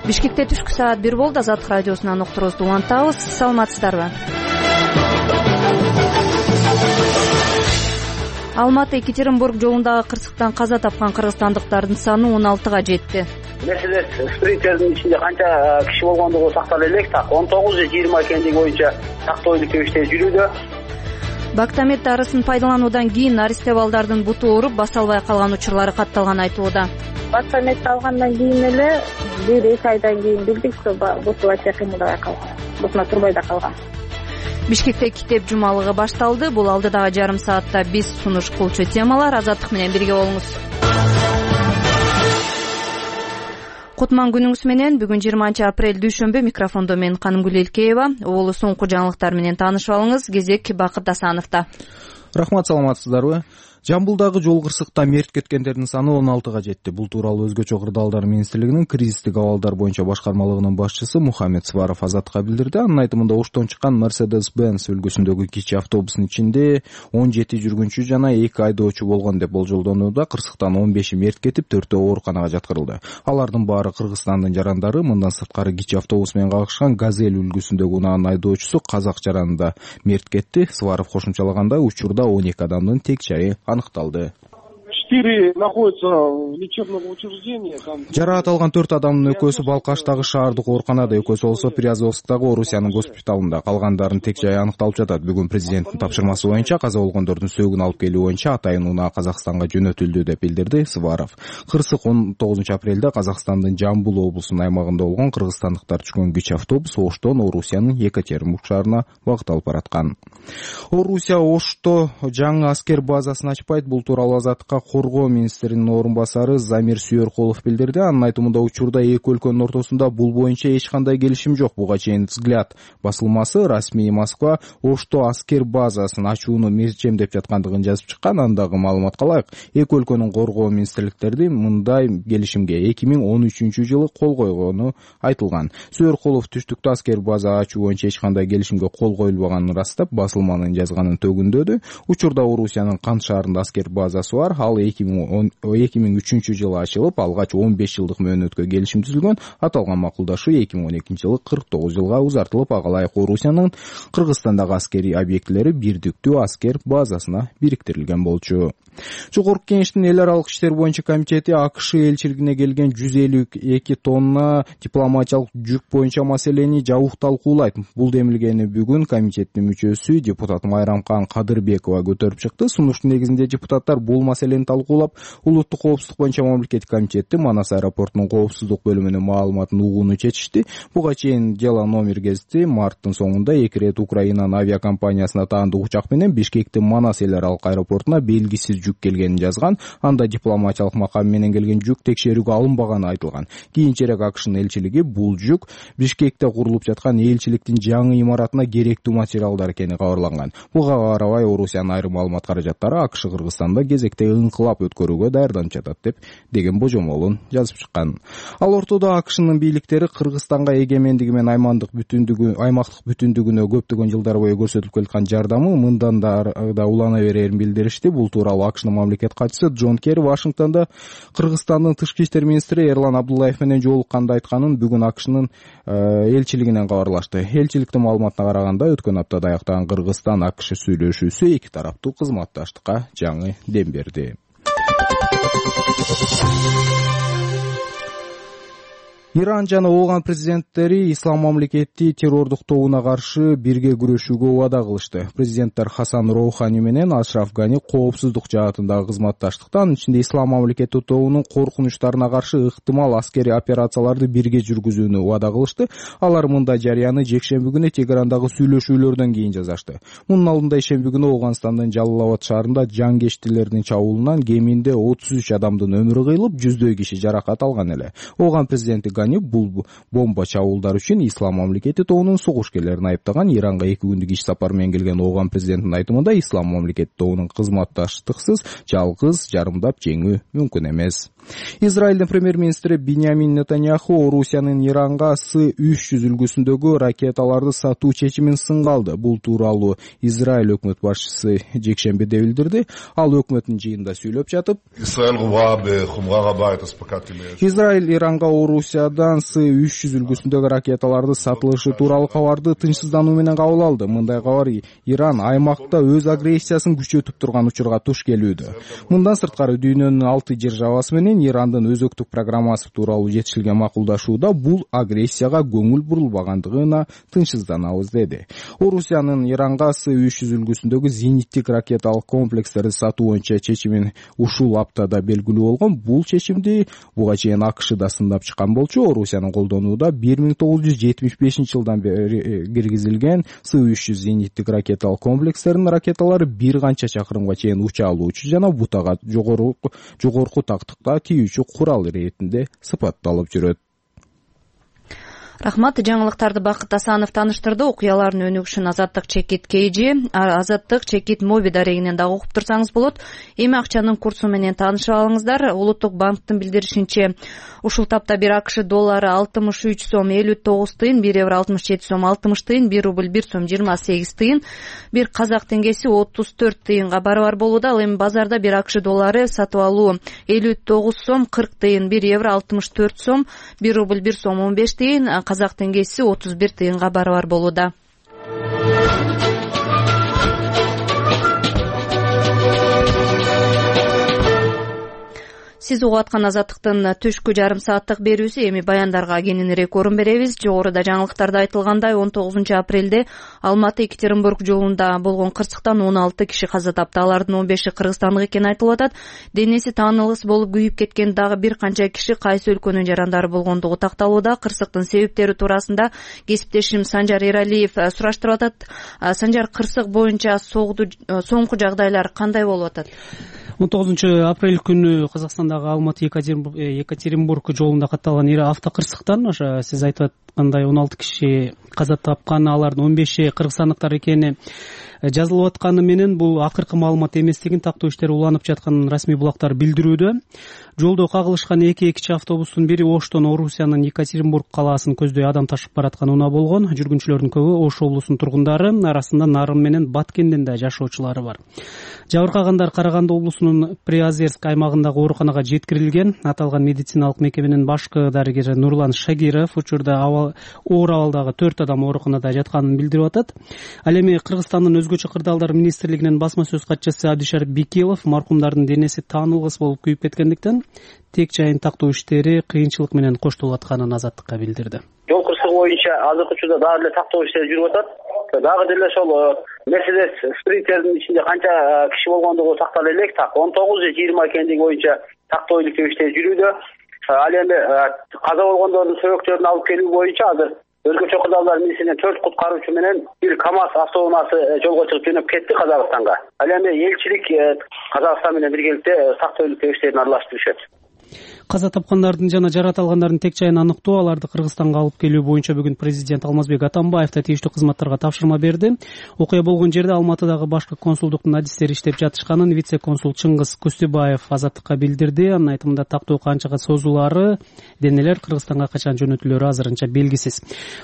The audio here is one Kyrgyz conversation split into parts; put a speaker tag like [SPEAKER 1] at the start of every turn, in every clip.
[SPEAKER 1] Бишкекте түшкү саат 1 болду. Азаттык радиосунан уктуруубузду улантабыз. Саламатсыздарбы? Алматы-Екатеринбург жолундагы кырсыктан каза тапкан кыргызстандыктардын саны 16га жетти.
[SPEAKER 2] Мерседес спринтердин ичинде канча киши болгондугу сактала элек, так 19-20 экендиги боюнча тактойлук тебиштер жүрүүдө.
[SPEAKER 1] Бактамет дарысын пайдалануудан кийин аристе балдардын буту ооруп, баса албай калган учурлары катталган айтылууда.
[SPEAKER 3] Бактамет алгандан кийин эле 1-2 айдан кийин билдик, что буту вообще кыймылдабай калган, бутуна турбай да калган.
[SPEAKER 1] Бишкекте китеп жумалыгы башталды. Бул алдыдагы жарым саатта биз сунуш кылчу темалар. Азаттык менен бирге болуңуз. Кутман күнүңүз менен. Бүгүн 20 апрель дүйшөмбү. Микрофондо мен Канымгүл Элкеева. Угулу соңку жаңылыктар менен таанышып алыңыз. Кезек Бакыт Асановдо.
[SPEAKER 4] Рахмат, саламатсыздарбы? Жамбылдагы жол кырсыкта мерт кеткендердин саны 16га жетти. Бул тууралуу Өзгөчө кырдаалдар министрлигинин кризистик абалдар боюнча башкармалыгынын башчысы Мухаммед Сваров Азаттыкка билдирди. Анын айтымында Оштон чыккан Mercedes-Benz үлгүсүндөгү кичи автобустун ичинде 17 жүргүнчү жана 2 айдоочу болгон деп болжолдонууда. Кырсыктан 15 мерт кетип, 4-өө ооруканага жаткырылды. Алардын баары Кыргызстандын жарандары. Мындан сырткары кичи автобус менен кагышкан Газель үлгүсүндөгү унаанын айдоочусу казак жаранында мерт кетти. Сваров кошумчалагандай, учурда 12 адамдын тек жайы аныкталды.
[SPEAKER 5] 4 находятся в лечебном учреждении.
[SPEAKER 4] Жараат алган 4 адамдын экөөсү Балкаштагы шаардык ооруканада, экөөсү болсо Приазовсктагы Орусиянын госпиталында. Калгандардын тек жайы аныкталып жатат. Бүгүн президенттин тапшырмасы боюнча каза болгондордун сөөгүн алып келүү боюнча атайын унаа Казакстанга жөнөтүлдү деп билдирди Сваров. Кырсык 19 апрелде Казакстандын Жамбыл облусунун аймагында болгон кыргызстандыктар түшкөн кичи автобус Оштон Орусиянын Екатеринбург шаарына багыт алып бараткан. Орусия Ошто жаңы аскер базасын ачпайт. Бул тууралуу Азаттыкка Коргоо министринин орун басары Замир Сүйөркулов билдирди. Анын айтымында учурда эки өлкөнүн ортосунда бул боюнча эч кандай келишим жок. Буга чейин Взгляд басылмасы расмий Москва Ошто аскер базасын ачууну мезчемдеп жаткандыгын жазып чыккан. Андагы маалыматка ылайык, эки өлкөнүн коргоо министрликтерди мындай келишимге 2013 жылы кол койгону айтылган. Сүйөркулов түштүктө аскер база ачуу боюнча эч кандай келишимге кол коюлбаганын растап, басылманын жазганын төгүндөдү. Учурда Орусиянын Кант шаарында аскер базасы бар. Ал 2003 жылы ачылып, алгач 15 жылдык мөөнөткө келишим түзүлгөн. Аталган макулдашуу 2012 жылы 49 жылга узартылып, ага ылайык Орусиянын Кыргызстандагы аскерий объектилери бирдиктүү аскер базасына бириктирилген болчу. Жогорку Кеңештин эл аралык иштер боюнча комитети АКШ элчилигине келген 152 тонна дипломатиялык жүк боюнча маселени жабык талкуулайт. Бул демилгени бүгүн комитеттин мүчөсү депутат Майрамкан Кадырбекова көтөрүп чыкты. Сунуштун негизинде депутаттар бул маселени талкуулап, улуттук коопсуздук боюнча мамлекеттик комитети Манас аэропортунун коопсуздук бөлүмүнүн маалыматын угууну чечишти. Буга чейин Дела номер гезити марттын соңунда 2 рет Украинанын авиакомпаниясына таандык учак менен Бишкектин Манас эл аралык аэропортуна белгисиз жүк келгенин жазган. Анда дипломатиялык макам менен келген жүк текшерүүгө алынбаганы айтылган. Кийинчерээк АКШнын элчилиги бул жүк Бишкекте курулуп жаткан элчиликтин жаңы имаратына керектүү материалдар экени кабарланган. Буга карабай Орусиянын айрым маалымат каражаттары АКШ Кыргызстанда кезекте ыңкылап өткөрүүгө даярданып жатат деген божомолун жазып чыккан. Ал ортодо АКШнын бийликтери Кыргызстанга эгемендиги менен аймактык бүтүндүгүнө көптөгөн жылдар бою көрсөтүп келаткан жардамы мындан да улана берерин билдиришти. Бул тууралуу АКШнын мамлекет катчысы Джон Керри Вашингтондо Кыргызстандын тышкы иштер министри Эрлан Абдуллаев менен жолукканда айтканын бүгүн АКШнын элчилигинен кабарлашты. Элчиликтин маалыматына караганда, өткөн аптада аяктаган Кыргызстан-АКШ сүйлөшүүсү эки тараптуу кызматташтыкка жаңы дем берди. Иран жана Ооган президенттери ислам мамлекети террордук тобуна каршы бирге күрөшүүгө убада кылышты. Президенттер Хасан Роухани менен Ашраф Гани коопсуздук жаатындагы кызматташтыктан, ичинде ислам мамлекети тобунун коркунучтарына каршы ыктымал аскерий операцияларды бирге жүргүзүүнү убада кылышты. Алар мындай жарыяны жекшемби күнү Тегерандагы сүйлөшүүлөрдөн кийин жазашты. Мунун алдында ишемби күнү Ооганстандын Жалалабад шаарында жангечтилердин чабуулунан кеминде 33 адамдын өмүрү кыйылып, жүздөй киши жаракат алган эле. Ооган президенти бул бомба чабуулдар үчүн ислам мамлекети тобунун согушкерлерин айыптаган. Иранга 2 күндүк иш сапар менен келген Ооган президентинин айтымында ислам мамлекети тобунун кызматташтыксыз жалгыз жарымдап жеңүү мүмкүн эмес. Израилдин премьер-министри Биньямин Нетаньяху Орусиянын Иранга С-300 үлгүсүндөгү ракеталарды сатуу чечимин сынга алды. Бул тууралуу Израиль өкмөт башчысы жекшембиде билдирди. Ал өкмөттүн жыйынында сүйлөп жатып, Израиль Иранга Орусиядан С-300 үлгүсүндөгү ракеталарды сатылышы тууралуу кабарды тынчсыздануу менен кабыл алды. Мындай кабар Иран аймакта өз агрессиясын күчөтүп турган учурга туш келүүдө. Мындан сырткары дүйнөнүн 6 державасы менен Ирандын өзөктүк программасы тууралуу жетишилген макулдашууда бул агрессияга көңүл бурулбагандыгына тынчсызданабыз деди. Орусиянын Иранга С-300 үлгүсүндөгү зениттик ракеталык комплекстерди сатуу боюнча чечимин ушул аптада белгилүү болгон. Бул чечимди буга чейин АКШ да сындап чыккан болчу. Орусиянын колдонууда 1975 жылдан бери киргизилген С-300 зениттик ракеталык комплекстердин ракеталары бир канча чакырымга чейин уча алуучу жана бутага жогорку тактыкка тийүүчү курал иретинде сыпатталып жүрөт.
[SPEAKER 1] Рахмат. Жаңылыктарды Бакыт Асанов таныштырды. Окуялардын өнүгүшүн Азаттык Чекит KG, Азаттык Чекит Моби дарегинен дагы окуп турсаңыз болот. Эми акчанын курсу менен таанышып алыңыздар. Улуттук банктын билдиришинче, ушул тапта бир АКШ доллары 63 сом 59 тыйын, 1 евро 67 сом 60 тыйын, 1 рубль 1 сом 28 тыйын, бир казак теңгеси 34 тыйынга барабар болууда. Ал эми базарда бир АКШ доллары сатып алуу 59 сом 40 тыйын, 1 евро 64 сом, 1 рубль 1 сом 15 тыйын, казак теңгеси 31 тыйынга барабар болууда. Сиз угуп аткан Азаттыктын түшкү жарым сааттык берүүсү. Эми баяндарга кененирээк орун беребиз. Жогоруда жаңылыктарда айтылгандай 19 апрелде Алматы-Екатеринбург жолунда болгон кырсыктан 16 киши каза тапты. Алардын 15и кыргызстандык экени айтылып атат. Денеси таанылыс болуп күйүп кеткен дагы бир канча киши кайсы өлкөнүн жарандары болгондугу такталууда. Кырсыктын себептери туурасында кесиптешим Санжар Эралиев сураштырып атат. Санжар, кырсык боюнча соңку жагдайлар кандай болуп атат?
[SPEAKER 6] 19 апрель күнү Казакстандагы Алматы-Екатеринбург жолунда катталган ири автокырсыктан ошо сиз айтып аткандай 16 киши каза тапкан, алардын 15и кыргызстандыктар экени жазылып атканы менен бул акыркы маалымат эместигин тактоо иштери уланып жатканын расмий булактар билдирүүдө. Жолдо кагылышкан эки кичи автобустун бири Оштон Орусиянын Екатеринбург калаасын көздөй адам ташып бараткан унаа болгон. Жүргүнчүлөрдүн көбү Ош облусунун тургундары, арасында Нарын менен Баткендин да жашоочулары бар. Жабыркагандар Караганды облусунун Приозерск аймагындагы ооруканага жеткирилген. Аталган медициналык мекеменин башкы дарыгери Нурлан Шагиров учурда оор абалдагы 4 адам ооруканада жатканын билдирип атат. Ал эми Кыргызстандын өзгөчө кырдаалдар министрлигинин басма сөз катчысы Абдишар Бекилов маркумдардын денеси таанылгыс болуп күйүп кеткендиктен тек жайын тактоо иштери кыйынчылык менен коштолуп атканын Азаттыкка билдирди.
[SPEAKER 2] Жол кырсыгы боюнча азыркы учурда дагы эле тактоо иштери жүрүп атат. Дагы деле ошол Мерседес спринтердин ичинде канча киши болгондугу тактала элек. 19 же 20 экендиги боюнча тактоо иштери жүрүүдө. Ал эми каза болгондордун сөбөктөрүн алып келүү боюнча азыр өзгөчө кырдаалдар министрлигинин 4 куткаруучу менен бир КАМАЗ автоунаасы жолго чыгып жөнөп кетти Казакстанга. Ал эми элчилик Казакстан менен биргеликте тактоо иштерин аралаштырышат.
[SPEAKER 6] Каза тапкандардын жана жаракат алгандардын тек жайын аныктоо, аларды Кыргызстанга алып келүү боюнча бүгүн президент Алмазбек Атамбаев да тийиштүү кызматтарга тапшырма берди. Окуя болгон жерде Алматыдагы башкы консулдуктун адистери иштеп жатышканын вице-консул Чыңгыз Кустебаев Азаттыкка билдирди. Анын айтымында тактоо канчага созулаары, денелер Кыргызстанга качан жөнөтүлөрү азырынча белгисиз.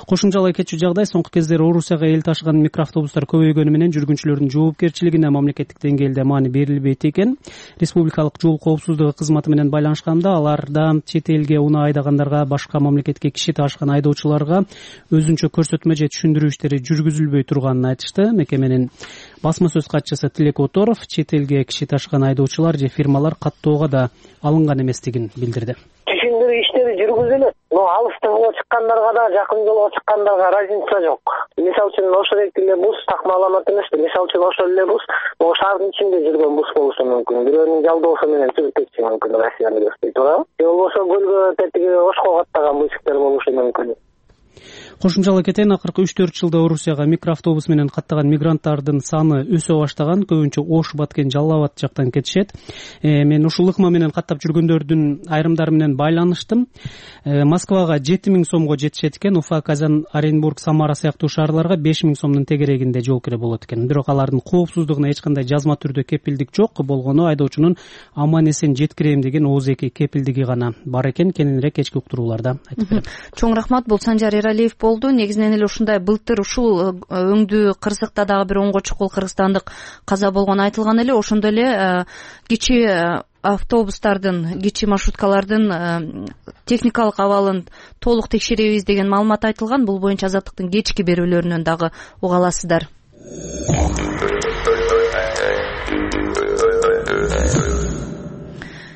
[SPEAKER 6] Кошумчалай кетчү жагдай, соңку кездери Орусияга эл ташыган микроавтобустар көбөйгөнү менен жүргүнчүлөрдүн жоопкерчилигине мамлекеттик деңгээлде маани берилбейт экен. Республикалык жол коопсуздугу кызматы менен байланышканда аларда чет элге унаа айдагандарга, башка мамлекетке киши ташыган айдоочуларга өзүнчө көрсөтмө же түшүндүрүү иштери жүргүзүлбөй турганын айтышты. Мекеменин басма сөз катчысы Тилек Оторов чет элге киши ташыган айдоочулар же фирмалар каттоого да алынган эместигин билдирди.
[SPEAKER 7] Түшүндүрүү иштери жүргүзүлөт. Алыстыгы чыккандарга да, жакын жолго чыккандарга разница жок. Мисалы үчүн ошол эле бус такма аламат эмес. Мисалы үчүн ошол эле бус шаардын ичинде жүргөн бус болушу мүмкүн. Бирөөнүн жалдоосу менен жүрүп кетиши мүмкүн. Россияны көздөй туурабы? Же болбосо көлгө тетиги Ошко каттаган бусиктер болушу мүмкүн.
[SPEAKER 6] Кошумчалай кетейин, акыркы 3-4 жылда Орусияга микроавтобус менен каттаган мигранттардын саны өсө баштаган. Көбүнчө Ош, Баткен, Жалал Абад жактан кетишет. Мен ушул ыкма менен каттап жүргөндөрдүн айрымдары менен байланыштым. Москвага 7000 сомго жетишет экен, Уфа, Казан, Оренбург, Самара сыяктуу шаарларга 5000 сомдун тегерегинде жол кире болот экен. Бирок алардын коопсуздугуна эч кандай жазма түрдө кепилдик жок. Болгону айдоочунун аман эсен жеткирем деген ооз-эки кепилдиги гана бар экен. Кененирээк кечки уктурууларда айтып берем.
[SPEAKER 1] Чоң рахмат. Бул Санжар Эралиев болду. Негизинен эле ушундай былтыр ушул өңдүү Кыргызстыкта дагы бир 10 чукул кыргызстандык каза болгону айтылган эле. Ошондой эле кичи автобустардын, кичи маршруткалардын техникалык абалын толук текшеребиз деген маалымат айтылган. Бул боюнча Азаттыктын кечки берүүлөрүнөн дагы уга аласыздар.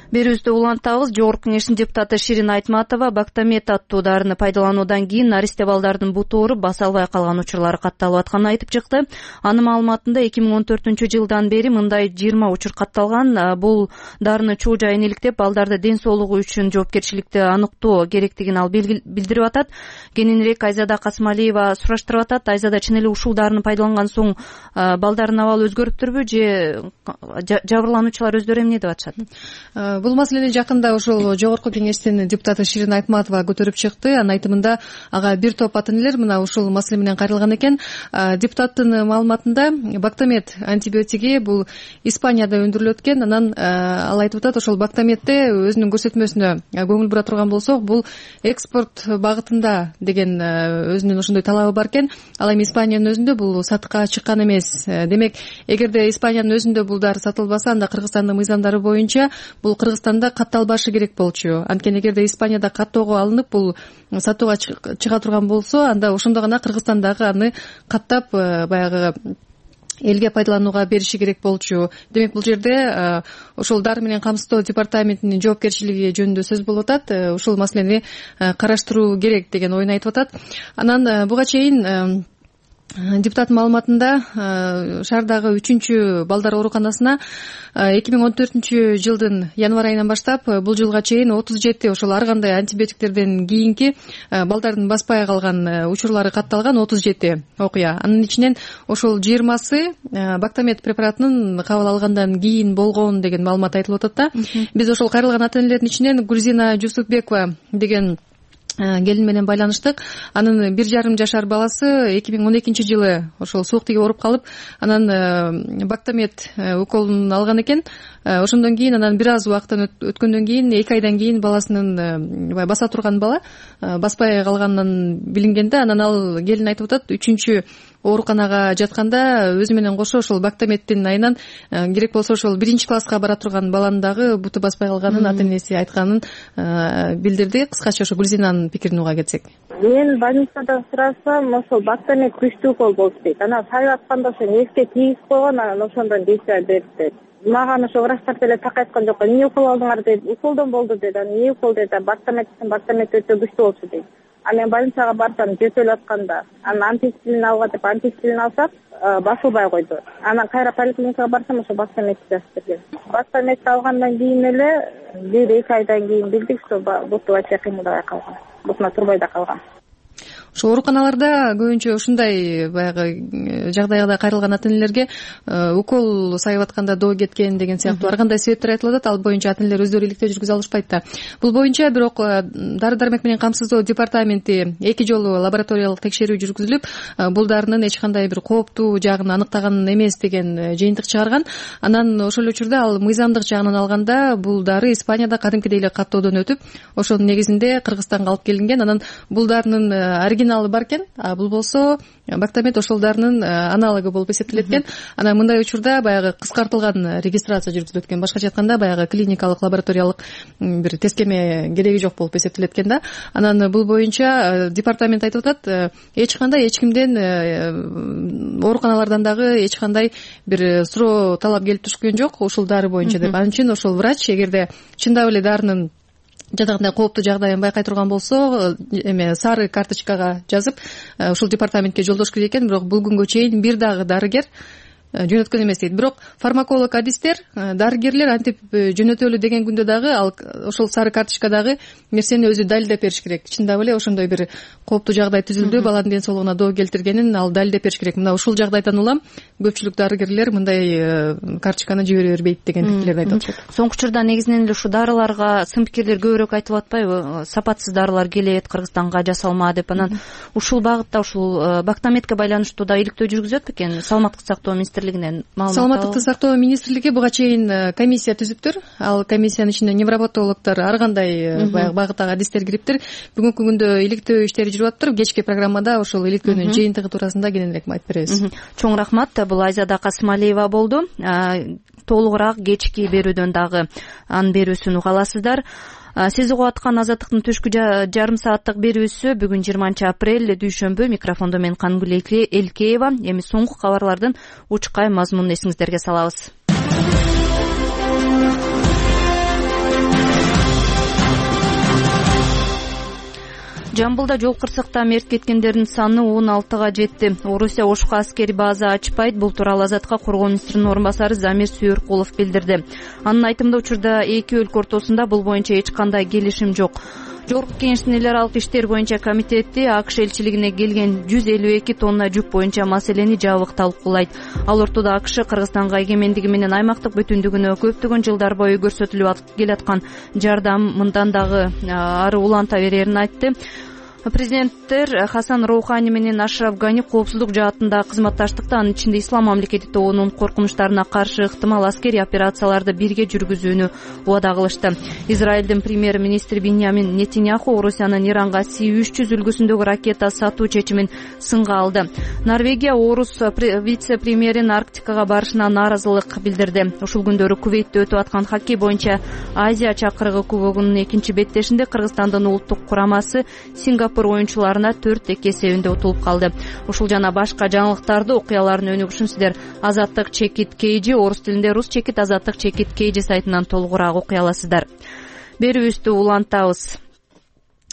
[SPEAKER 1] Берүүбүздү улантабыз. Жогорку Кеңештин депутаты Ширин Айтматова Бактамет аттуу дарыны пайдалануудан кийин наристе балдардын буту ооруп баса албай калган учурлары катталып атканын айтып чыкты. Анын маалыматында 2014-жылдан бери мындай 20 учур катталган. Бул дарыны чуу жайын иликтеп, балдарды ден соолугу үчүн жоопкерчиликти аныктоо керектигин ал билдирип атат. Кененирээк Айзада Касмалиева сураштырып атат. Айзада, чын эле ушул дарыны пайдаланган соң балдардын абалы өзгөрүптүрбү же жабырлануучулар өздөрү эмне деп атышат?
[SPEAKER 8] Бул маселени жакында ошол Жогорку Кеңештин депутаты Ширин Айтматова көтөрүп чыкты. Анын айтымында ага бир топ ата энелер мына ушул маселе менен кайрылган экен. Депутаттын маалыматында Бактамет антибиотиги бул Испанияда өндүрүлөт экен. Анан ал айтып атат, ошол Бактаметте өзүнүн көрсөтмөсүнө көңүл бура турган болсок, бул экспорт багытында деген өзүнүн ошондой талабы бар экен. Ал эми Испаниянын өзүндө бул сатыкка чыккан эмес. Демек, эгерде Испаниянын өзүндө бул дары сатылбаса, анда Кыргызстандын мыйзамдары боюнча бул Кыргызстанда катталбашы керек болчу. Анткени эгерде Испанияда каттоого алынып, бул сатууга чыга турган болсо, анда ошондо гана Кыргызстандагы аны каттап баягы элге пайдаланууга бериши керек болчу. Демек, бул жерде ошол дары менен камсыздоо департаментинин жоопкерчилиги жөнүндө сөз болуп атат. Ушул маселени караштыруу керек деген оюн айтып атат. Анан буга чейин депутат маалыматында шаардагы 3-чү балдар ооруканасына 2014-жылдын январь айынан баштап бул жылга чейин 37 ошол ар кандай антибиотиктерден кийинки балдардын баспай калган учурлары катталган 37 окуя. Анын ичинен ошол 20сы Бактамет препаратынын кабыл алгандан кийин болгон деген маалымат айтылып атат да. Биз ошол кайрылган ата энелердин ичинен Гүлзина Жусупбекова деген келин менен байланыштык. Анын 1,5 жашар баласы 2012-жылы ошол суук тиги ооруп калып, анан Бактамет уколун алган экен. Ошондон кийин анан бир аз убакыттан өткөндөн кийин 2 айдан кийин баласынын баса турган бала баспай калганынан билингенде, анан ал келин айтып атат, 3-чү ооруканага жатканда өзү менен кошо ошол Бактаметтин айынан керек болсо ошол 1-чи класска бара турган баланын дагы буту баспай калганын ата энеси айтканын билдирди. Кыскача ошо Гүлзинанын пикирин уга кетсек.
[SPEAKER 3] Мен больницада сурасам, ошол Бактамет күчтүү укол болуп дейт. Анан сайып атканда ошо нервге тийгиз койгон, анан ошондон действия берди дейт. Маган ошо врачтар деле так айткан жок. Эмне укол алдыңар дейт. Уколдон болду дейт. Анан эмне укол дейт. Бактамет өтө күчтүү болчу дейт. А мен больницага барсам жөтөлүп атканда, анан антистрин алга деп антистрин алсак, басылбай койду. Анан кайра поликлиникага барсам, ошо Бактаметти жазып берген. Бактаметти алгандан кийин эле 1-2 айдан кийин билдик, что буту вообще кыймылдабай калган. Бутуна турбай да калган.
[SPEAKER 8] Ошо ооруканаларда көбүнчө ушундай баягы жагдайга кайрылган ата энелерге укол сайып атканда доо кеткен деген сыяктуу ар кандай себептер айтылып атат. Ал боюнча ата энелер өздөрү иликтөө жүргүзө алышпайт да. Бул боюнча бирок дары дармек менен камсыздоо департаменти 2 жолу лабораториялык текшерүү жүргүзүлүп, бул дарынын эч кандай бир кооптуу жагын аныктаган эмес деген жыйынтык чыгарган. Анан ошол эле учурда ал мыйзамдык жагынан алганда бул дары Испанияда кадимкидей эле каттоодон өтүп, ошонун негизинде Кыргызстанга алып келинген. Анан бул дарынын оригиналы бар экен. Бул болсо Бактамет ошол дарынын аналогу болуп эсептелет экен. Анан мындай учурда баягы кыскартылган регистрация жүргүзүлөт экен. Башкача айтканда баягы клиникалык лабораториялык бир тескеме кереги жок болуп эсептелет экен да. Анан бул боюнча департамент айтып атат, эч кандай эч кимден ооруканалардан дагы эч кандай бир суроо талап келип түшкөн жок ушул дары боюнча деп. Анын үчүн ошол врач эгерде чындап эле дарынын жадагандай кооптуу жагдайын байкай турган болсо, эме сары карточкага жазып ушул департаментке жолдош керек экен. Бирок бул күнгө чейин бир дагы дарыгер жөнөткөн эмес дейт. Бирок фармаколог адистер, дарыгерлер антип жөнөтөлү деген күндө дагы ал ошол сары карточкадагы нерсени өзү далилдеп бериш керек. Чындап эле ошондой бир кооптуу жагдай түзүлдү, баланын ден соолугуна доо келтиргенин ал далилдеп бериш керек. Мына ушул жагдайдан улам көпчүлүк дарыгерлер мындай карточканы жибере бербейт деген пикирлерди айтып атышат.
[SPEAKER 1] Соңку учурда негизинен эле ушу дарыларга сын пикирлер көбүрөөк айтылып атпайбы? Сапатсыз дарылар келет Кыргызстанга, жасалма деп. Анан ушул багытта ушул Бактаметке байланыштуу да иликтөө жүргүзөт бекен? Саламаттык сактоо министрлигинен маалымат.
[SPEAKER 8] Саламаттыкты сактоо министрлиги буга чейин комиссия түзүптүр. Ал комиссиянын ичине невропатологдор, ар кандай баягы багыттагы адистер кириптир. Бүгүнкү күндө иликтөө иштери жүрүп атыптыр. Кечки программада ошол иликтөөнүн жыйынтыгы туурасында кененирээк айтып беребиз.
[SPEAKER 1] Чоң рахмат. Бул Айзада Касымалиева болду. Толугураак кечки берүүдөн дагы анын берүүсүн уга аласыздар. Сиз угуп аткан Азаттыктын түшкү жарым сааттык берүүсү бүгүн 20 апрель дүйшөмбү. Микрофондо мен Кангүл Элкеева. Эми соңку кабарлардын учкай мазмунун эсиңиздерге салабыз. Жамбылда жол кырсыкта мерт кеткендердин саны 16га жетти. Орусия Ошко аскери база ачпайт. Бул тууралуу Азатка коргоо министринин орун басары Замир Сүйөркулов билдирди. Анын айтымында учурда эки өлкө ортосунда бул боюнча эч кандай келишим жок. Жогорку Кеңештин эл аралык иштер боюнча комитети АКШ элчилигине келген 152 тонна жүк боюнча маселени жабык талкуулайт. Ал ортодо АКШ Кыргызстанга эгемендиги менен аймактык бүтүндүгүнө көптөгөн жылдар бою көрсөтүлүп келаткан жардамындан дагы ары уланта берерин айтты. Президенттер Хасан Роухани менен Ашраф Гани коопсуздук жаатында кызматташтыкты, анын ичинде Ислам мамлекети тобунун коркунучтарына каршы ыктымал аскерий операцияларды бирге жүргүзүүнү убада кылышты. Израилдин премьер-министри Биньямин Нетиньяху Орусиянын Иранга С-300 үлгүсүндөгү ракета сатуу чечимин сынга алды. Норвегия орус вице-премьерин Арктикага барышына нааразылык билдирди. Ушул күндөрү Кувейтте өтүп аткан хоккей боюнча Азия чакырыгы кубогунун экинчи беттешинде Кыргызстандын улуттук курамасы Сингапур оюнчуларына 4-2 эсебинде утулуп калды. Ушул жана башка жаңылыктарды, окуялардын өнүгүшүн сиздер Азаттык чекит KG, орус тилинде рус чекит Азаттык чекит KG сайтынан толугураак окуй аласыздар. Берүүбүздү улантабыз.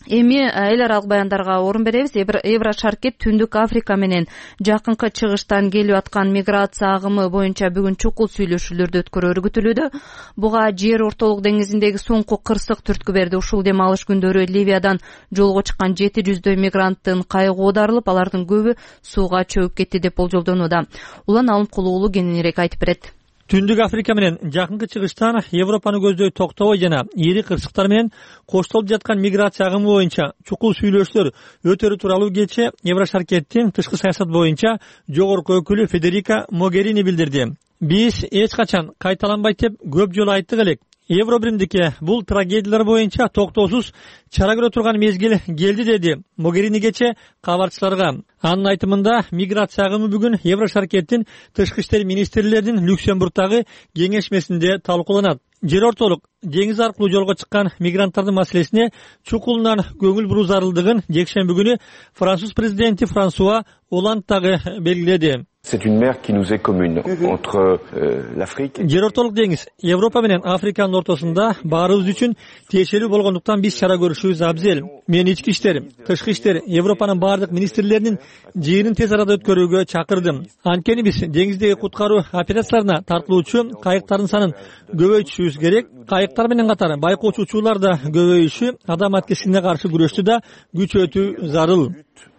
[SPEAKER 1] Эми эл аралык баяндарга орун беребиз. Еврошаркет Түндүк Африка менен жакынкы чыгыштан келип аткан миграция агымы боюнча бүгүн чукул сүйлөшүүлөрдү өткөрөөрү күтүлүүдө. Буга жер ортолук деңизиндеги соңку кырсык түрткү берди. Ушул дем алыш күндөрү Ливиядан жолго чыккан 700дөй мигранттын кайыгы оодарылып, алардын көбү сууга чөгүп кетти деп болжолдонууда. Улан Алымкулуу уулу кененирээк айтып берет.
[SPEAKER 9] Түндүк Африка менен жакынкы чыгыштан Европаны көздөй токтобой жана ири кырсыктар менен коштолуп жаткан миграция агымы боюнча чукул сүйлөшүүлөр өтөрү тууралуу кечээ Еврошаркеттин тышкы саясат боюнча жогорку өкүлү Федерика Могерини билдирди. Биз эч качан кайталанбайт деп көп жолу айттык элек. Евробиримдикке бул трагедиялар боюнча токтоосуз чара көрө турган мезгил келди, деди Могерини кечээ кабарчыларга. Анын айтымында миграция агымы бүгүн Еврошаркеттин тышкы иштер министрлеринин Люксембургдагы кеңешмесинде талкууланат. Жер ортолук деңиз аркылуу жолго чыккан мигранттардын маселесине чукулунан көңүл буруу зарылдыгын жекшемби күнү Француз президенти Франсуа Оланд дагы белгиледи.
[SPEAKER 10] C'est une mer qui nous est commune entre l'Afrique.
[SPEAKER 9] Жер ортолук деңиз Европа менен Африканын ортосунда баарыбыз үчүн тиешелүү болгондуктан биз чара көрүшүбүз абзел. Мен ички иштер, тышкы иштер, Европанын бардык министрлеринин жыйынын тез арада өткөрүүгө чакырдым. Анткени биз деңиздеги куткаруу операцияларына тартылуучу кайыктардын санын көбөйтүшүбүз керек. Кайыктар менен катар байкоочу учуулар да көбөйүшү, адам аткесине каршы күрөштү да күчөтүү зарыл.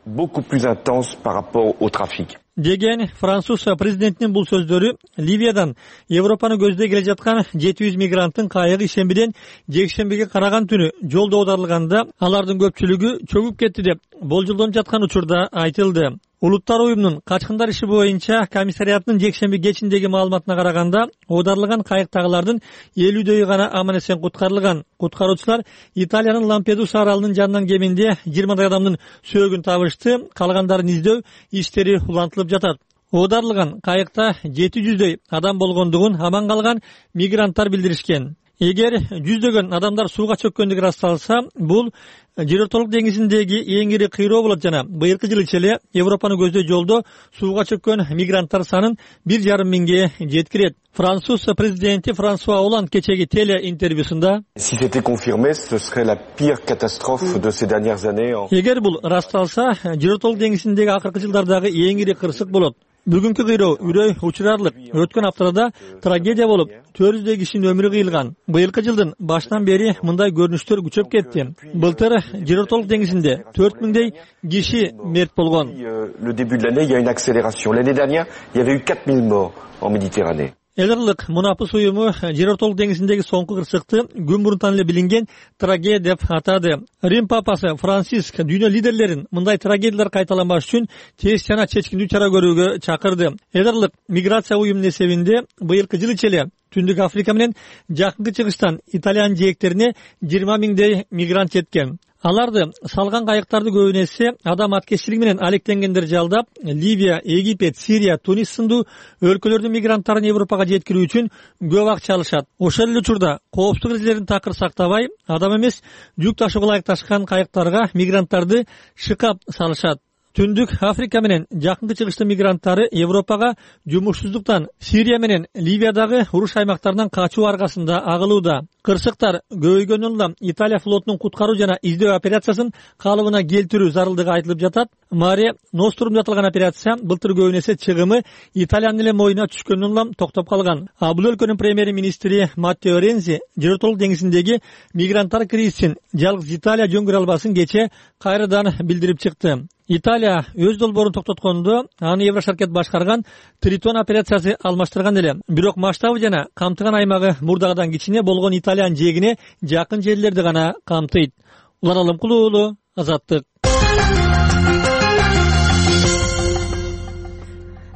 [SPEAKER 10] Beaucoup plus intense par rapport au trafic.
[SPEAKER 9] Деген Француз президентинин бул сөздөрү Ливиядан Европаны көздөй келе жаткан 700 мигранттын кайыгы ишембиден жекшембиге караган түнү жолдо оодарылганда алардын көпчүлүгү чөгүп кетти деп болжолдонуп жаткан учурда айтылды. Улуттар уюмунун качкындар иши боюнча комиссариятынын жекшемби кечиндеги маалыматына караганда оодарылган кайыктагылардын 50дөйү гана аман эсен куткарылган. Куткаруучулар Италиянын Лампедуса аралынын жанынан кеминде 20 адамдын сөөгүн табышты. Калгандарын издөө иштери улантылып жатат. Оодарылган кайыкта 700дөй адам болгондугун аман калган мигранттар билдиришкен. Эгер жүздөгөн адамдар сууга чөккөндүгү ырасталса, бул жер ортолук деңизиндеги эң ири кыйроо болот жана быйыркы жылы эле Европаны көздөй жолдо сууга чөккөн мигранттар санын 1,5 миңге жеткирет. Француз президенти Франсуа Оланд кечеги теле интервьюсунда
[SPEAKER 10] Si c'était confirmé, ce serait la pire catastrophe de ces dernières années.
[SPEAKER 9] Эгер бул ырасталса, жер ортолук деңизиндеги акыркы жылдардагы эң ири кырсык болот. Бүгүнкү кыйроо үрөй учурарлык. Өткөн аптада трагедия болуп, 400 кишинин өмүрү кыйылган. Быйылкы жылдын башынан бери мындай көрүнүштөр күчөп кетти. Былтыр Жер-Ортолук деңизинде 4000 киши мерт болгон.
[SPEAKER 10] Le début de l'année, il y a une accélération. L'année dernière, il y avait eu 4000 morts en Méditerranée.
[SPEAKER 9] Элерлик мунапыс уюму Жер-Ортолук деңизиндеги соңку кырсыкты күн мурунтан эле билинген трагедия деп атады. Рим папасы Франциск дүйнө лидерлерин мындай трагедиялар кайталанбаш үчүн тез жана чечкиндүү чара көрүүгө чакырды. Элерлик миграция уюмунун эсебинде быйылкы жыл ичи эле Түндүк Африка менен Жакынкы Чыгыштан Италиянын жээктерине 20 000 мигрант жеткен. Аларды салган кайыктарды көбүн эсе адам аткезчилиги менен алектенгендер жалдап, Ливия, Египет, Сирия, Тунис сындуу өлкөлөрдүн мигранттарын Европага жеткирүү үчүн көп акча алышат. Ошол эле учурда коопсуздук эрежелерин такыр сактабай, адам эмес жүк ташууга ылайыкташкан кайыктарга мигранттарды шыкап салышат. Түндүк Африка менен Жакынкы Чыгыштын мигранттары Европага жумушсуздуктан Сирия менен Ливиядагы уруш аймактарынан качуу аргасында агылууда. Кырсыктар көбөйгөнүн улам Италия флотунун куткаруу жана издөө операциясын калыбына келтирүү зарылдыгы айтылып жатат. Маре Нострум деп аталган операция былтыр көбүн эсе чыгымы Италиянын эле моюна түшкөнүн улам токтоп калган. Бул өлкөнүн премьер-министри Маттео Рензи Жер-Ортолук деңизиндеги мигранттар кризисин жалгыз Италия жөнгөрө албасын кечээ кайрадан билдирип чыкты. Италия өз долбоорун токтоткондо аны Еврошаркет башкарган Тритон операциясы алмаштырган эле. Бирок масштабы жана камтыган аймагы мурдагыдан кичине болгон Италиянын жээгине жакын жерлерди гана камтыйт. Улан Алымкулуу уулу, Азаттык.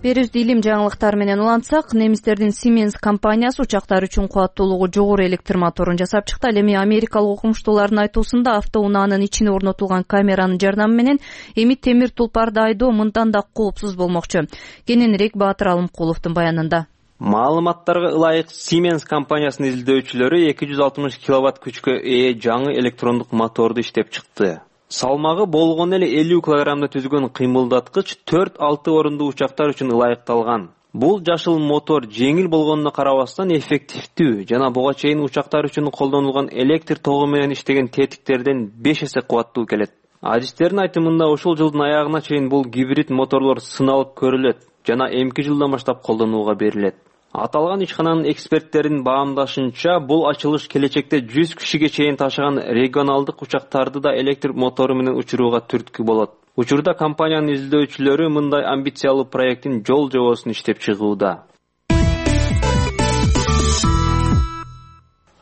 [SPEAKER 1] Берүүбүздү илим жаңылыктары менен улантсак, немистердин Siemens компаниясы учактар үчүн кубаттуулугу жогору электр моторун жасап чыкты. Ал эми америкалык окумуштуулардын айтуусунда автоунаанын ичине орнотулган камеранын жардамы менен эми темир тулпарды айдоо мындан да коопсуз болмокчу. Кененирээк Баатыр Алымкуловдун баянында.
[SPEAKER 11] Маалыматтарга ылайык Siemens компаниясынын изилдөөчүлөрү 260 киловатт күчкө ээ жаңы электрондук моторду иштеп чыкты. Салмагы болгон эле 50 килограммда түзгөн кыймылдаткыч 4-6 орундуу учактар үчүн ылайыкталган. Бул жашыл мотор жеңил болгонуна карабастан эффективдүү жана буга чейин учактар үчүн колдонулган электр тогу менен иштеген тетиктерден 5 эсе кубаттуу келет. Адистердин айтымында ушул жылдын аягына чейин бул гибрид моторлор сыналып көрүлөт жана эмки жылдан баштап колдонууга берилет. Аталган ишкананын эксперттеринин баамдашынча, бул ачылыш келечекте 100 кишиге чейин ташыган регионалдык учактарды да электр мотору менен учурууга түрткү болот. Учурда компаниянын изилдөөчүлөрү мындай амбициялуу проекттин жол жобосун иштеп чыгууда.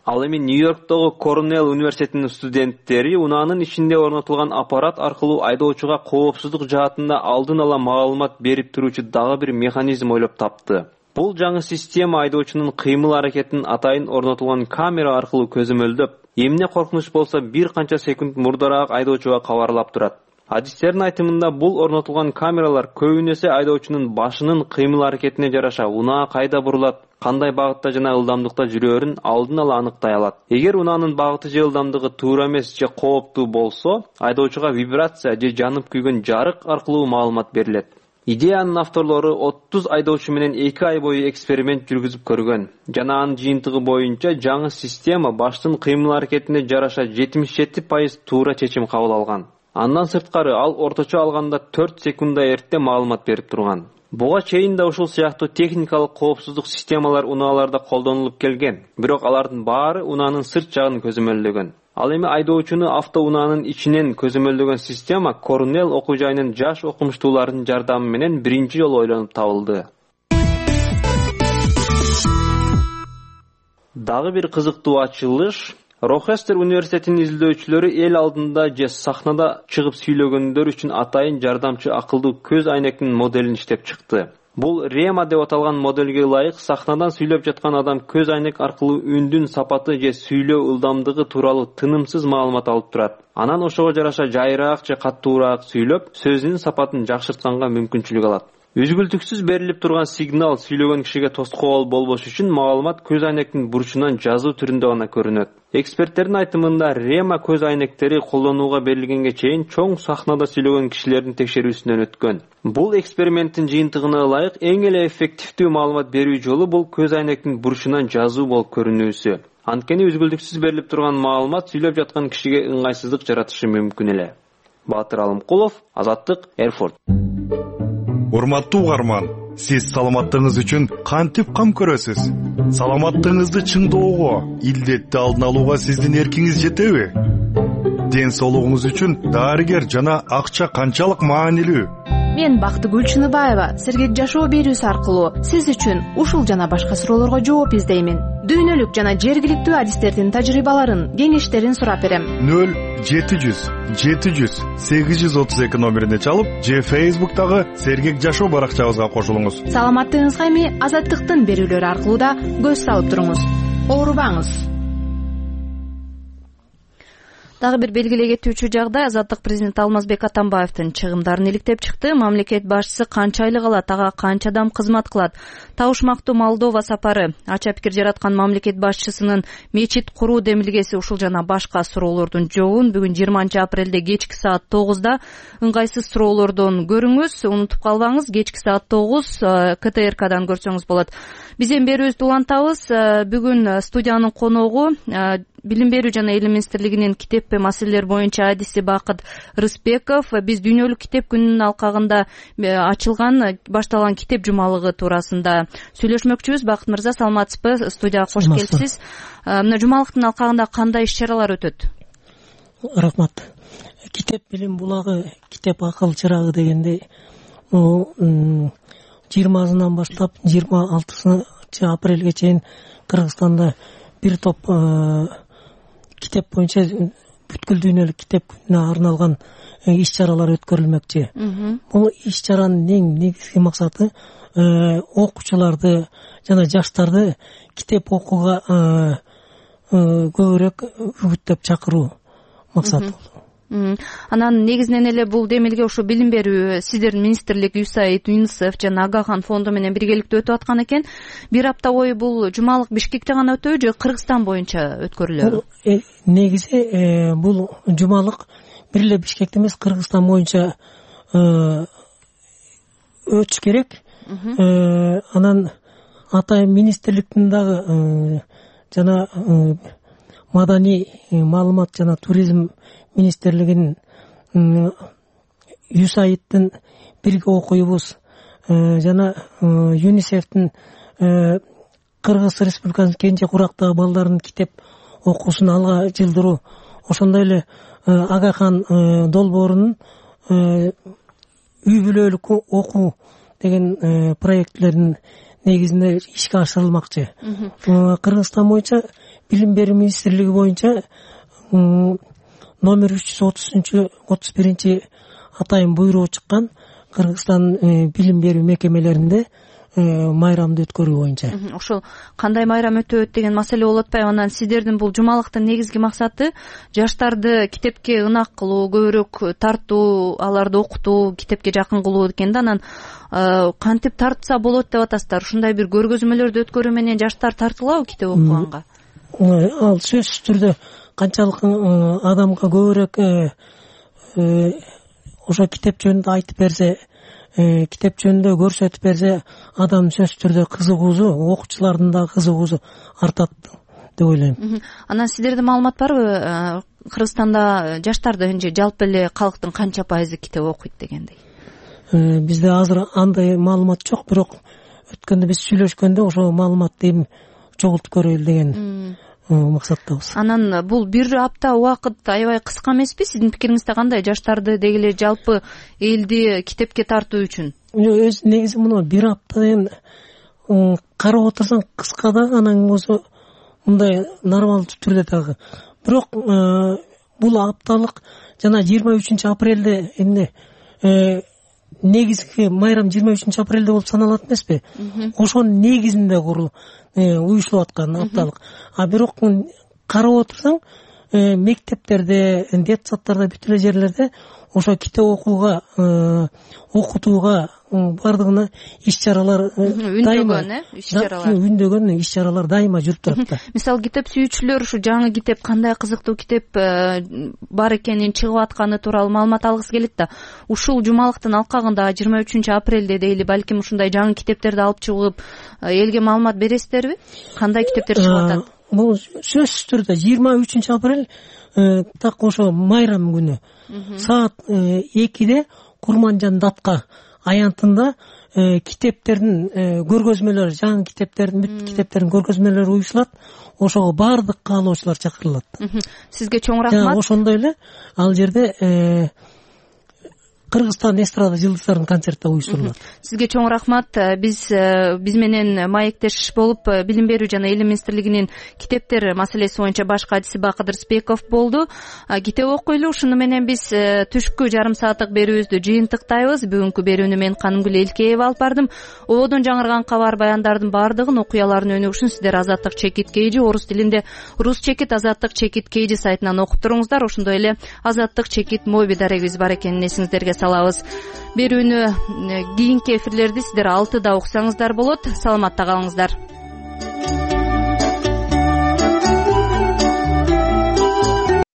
[SPEAKER 11] Ал эми Нью-Йорктогу Корнелл университетинин студенттери унаанын ичинде орнотулган аппарат аркылуу айдоочуга коопсуздук жаатында алдын ала маалымат берип туруучу дагы бир механизм ойлоп тапты. Бул жаңы система айдоочунун кыймыл-аракетин атайын орнотулган камера аркылуу көзөмөлдөп, эмне коркунуч болсо бир канча секунд мурдараак айдоочуга кабарлап турат. Адистердин айтымында бул орнотулган камералар көбүн эсе айдоочунун башынын кыймыл-аракетине жараша унаа кайда бурулат, кандай багытта жана ылдамдыкта жүрөөрүн алдын ала аныктай алат. Эгер унаанын багыты же ылдамдыгы туура эмес же кооптуу болсо, айдоочуга вибрация же жанып күйгөн жарык аркылуу маалымат берилет. Идеянын авторлору 30 айдоочу менен 2 ай бою эксперимент жүргүзүп көргөн. Жана анын жыйынтыгы боюнча жаңы система баштын кыймыл-аракетине жараша 77% туура чечим кабыл алган. Андан сырткары ал орточо алганда 4 секундда эрте маалымат берип турган. Буга чейин да ушул сыяктуу техникалык коопсуздук системалар унааларда колдонулуп келген, бирок алардын баары унаанын сырт жагын көзөмөлдөгөн. Ал эми айдоочуну автоунаанын ичинен көзөмөлдөгөн система Корнелл окуу жайынын жаш окумуштууларынын жардамы менен биринчи жолу ойлонуп табылды. Дагы бир кызыктуу ачылыш Рохестер университетинин изилдөөчүлөрү эл алдында же сахнада чыгып сүйлөгөндөр үчүн атайын жардамчы акылдуу көз айнектин моделин иштеп чыкты. Бул Рема деп аталган моделге ылайык сахнадан сүйлөп жаткан адам көз айнек аркылуу үндүн сапаты же сүйлөө ылдамдыгы тууралуу тынымсыз маалымат алып турат. Анан ошого жараша жайыраак же каттуураак сүйлөп, сөзүнүн сапатын жакшыртканга мүмкүнчүлүк алат. Үзгүлтүксүз берилип турган сигнал сүйлөгөн кишиге тоскоол болбош үчүн маалымат көз айнектин бурчунан жазуу түрүндө гана көрүнөт. Эксперттердин айтымында Рема көз айнектери колдонууга берилгенге чейин чоң сахнада сүйлөгөн кишилердин текшерүүсүнөн өткөн. Бул эксперименттин жыйынтыгына ылайык эң эле эффективдүү маалымат берүү жолу бул көз айнектин бурчунан жазуу болуп көрүнүүсү. Анткени үзгүлтүксүз берилип турган маалымат сүйлөп жаткан кишиге ыңгайсыздык жаратышы мүмкүн эле. Баатыр Алымкулов, Азаттык, Эрфурт.
[SPEAKER 12] Урматтуу угарман, Сиз саламаттыгыңыз үчүн кантип кам көрөсүз? Саламаттыгыңызды чыңдоого, илдетти алдын алууга сиздин эркиңиз жетеби? Ден соолугуңуз үчүн дарыгер жана акча канчалык маанилүү?
[SPEAKER 13] Мен Бактыгүл Чыныбаева сергек жашоо берүүсү аркылуу сиз үчүн ушул жана башка суроолорго жооп издеймин. Дүйнөлүк жана жергиликтүү адистердин тажрыйбаларын, кеңештерин сурап берем.
[SPEAKER 12] 0-700-832 номерине чалып, же Facebook'тагы сергек жашоо баракчабызга кошулуңуз.
[SPEAKER 13] Саламаттыгыңызга эми Азаттыктын берүүлөрү аркылуу да көз салып туруңуз. Оорубаңыз.
[SPEAKER 1] Дагы бир белгилей кетүүчү жагдай, Азаттык президенти Алмазбек Атамбаевдин чыгымдарын иликтеп чыкты. Мамлекет башчысы канча айлык алат, ага канча адам кызмат кылат? Табышмактуу Молдова сапары, ача пикир жараткан мамлекет башчысынын мечит куруу демилгеси, ушул жана башка суроолордун жообун бүгүн 20 апрелде кечки саат 9-да ыңгайсыз суроолордон көрүңүз. Унутуп калбаңыз, кечки саат 9 КТРКдан көрсөңүз болот. Биз эми берүүбүздү улантабыз. Бүгүн студиянын коногу Билим берүү жана Элим министрлигинин китеп маселелер боюнча адиси Бакыт Рыспеков. Биз дүйнөлүк китеп күнүнүн алкагында башталган китеп жумалыгы туурасында сүйлөшмөкчүбүз. Бакыт мырза, саламатсызбы? Студияга кош келипсиз. Мына жумалыктын алкагында кандай иш-чаралар өтөт?
[SPEAKER 14] Рахмат. Китеп билим булагы, китеп акыл чырагы дегендей 20-сынан баштап 26 апрелге чейин Кыргызстанда бир топ китеп боюнча бүткүл дүйнөлүк китеп күнүнө арналган иш-чаралар өткөрүлмөкчү. Бул иш-чаранын эң негизги максаты окуучуларды жана жаштарды китеп окууга көбүрөөк үгүттөп чакыруу максаты.
[SPEAKER 1] Анан негизинен эле бул демилге ушу билим берүү сиздердин министрлик, USAID, UNICEF жана Агахан фонду менен биргеликте өтүп аткан экен. Бир апта бою бул жумалык Бишкекте гана өтөбү же Кыргызстан боюнча өткөрүлөбү?
[SPEAKER 14] Негизи бул жумалык бир эле Бишкекте эмес, Кыргызстан боюнча өтүш керек. Анан атайын министрликтин дагы жана маданий маалымат жана туризм министрлигинин USAID'дин бирге окуйбуз жана ЮНИСЕФтин Кыргыз Республикасынын кенже курактагы балдардын китеп окуусун алга жылдыруу, ошондой эле Агахан долбоорунун үй бүлөлүк окуу деген проектлердин негизинде ишке ашырылмакчы. Кыргызстан боюнча билим берүү министрлиги боюнча номер 330-31 атайын буйругу чыккан Кыргызстан билим берүү мекемелеринде майрамды өткөрүү боюнча.
[SPEAKER 1] Ошол кандай майрам өтөт деген маселе болуп атпайбы? Анан сиздердин бул жумалыктын негизги максаты жаштарды китепке ынак кылуу, көбүрөөк тартуу, аларды окутуу, китепке жакын кылуу экен да. Анан кантип тартса болот деп атасыздар? Ушундай бир көргөзмөлөрдү өткөрүү менен жаштар тартылабы китеп окуганга?
[SPEAKER 14] Ал сөзсүз түрдө канчалык адамга көбүрөөк ошо китеп жөнүндө айтып берсе, китеп жөнүндө көрсөтүп берсе, адам сөзсүз түрдө кызыгуусу, окуучулардын да кызыгуусу артат деп ойлойм.
[SPEAKER 1] Анан сиздерде маалымат барбы? Кыргызстанда жаштарды жалпы эле калктын канча пайызы китеп окуйт дегендей?
[SPEAKER 14] Бизде азыр андай маалымат жок, бирок өткөндө биз сүйлөшкөндө ошол маалыматты эми чогултуп көрөлү деген максаттабыз.
[SPEAKER 1] Анан бул бир апта убакыт аябай кыска эмеспи? Сиздин пикириңизде кандай? Жаштарды дегеле жалпы элди китепке тартуу үчүн?
[SPEAKER 14] Өз негизи мына бир апта деген карап отурсаң кыска да, анан болсо мындай нормалдуу түрдө дагы. Бирок бул апталык жана 23 апрелде эмне негизги майрам 23 апрелде болуп саналат эмеспи? Ошонун негизинде уюштулуп аткан апталык. А бирок карап отурсаң, мектептерде, детсадтарда, бүт эле жерлерде ошо китеп окууга, окутууга бардыгына иш-чаралар үндөгөн иш-чаралар дайыма жүрүп турат да.
[SPEAKER 1] Мисалы китеп сүйүүчүлөр ушу жаңы китеп, кандай кызыктуу китеп бар экенин, чыгып атканы тууралуу маалымат алгысы келет да. Ушул жумалыктын алкагында 23 апрелде дейли балким ушундай жаңы китептерди алып чыгып элге маалымат бересиздерби? Кандай китептер чыгып атат?
[SPEAKER 14] Бул сөзсүз түрдө 23 апрель так ошо майрам күнү саат 2-де Курманжан Датка аянтында китептердин көргөзмөлөрү, жаңы китептердин, бүт китептердин көргөзмөлөрү уюшулат. Ошого баардык каалоочулар чакырылат.
[SPEAKER 1] Сизге чоң рахмат.
[SPEAKER 14] Ошондой эле ал жерде Кыргызстан эстрада жылдыздардын концерти уюштурулат.
[SPEAKER 1] Сизге чоң рахмат. Биз менен маектеш болуп Билим берүү жана Эл министрлигинин китептер маселеси боюнча баш катчысы Бакыт Рысбеков болду. Китеп окуйлу. Ушуну менен биз түшкү жарым сааттык берүүбүздү жыйынтыктайбыз. Бүгүнкү берүүнү мен Канымгүл Элкеева алып бардым. Ободон жаңырган кабар баяндардын баардыгын, окуялардын өнүгүшүн сиздер Азаттык чекит KG орус тилинде рус чекит Азаттык чекит KG сайтынан окуп туруңуздар. Ошондой эле Азаттык чекит моби дарегибиз бар экенин эсиңиздерге салабыз. Берүүнү кийинки эфирлерди сиздер 6-да уксаңыздар болот. Саламатта калыңыздар.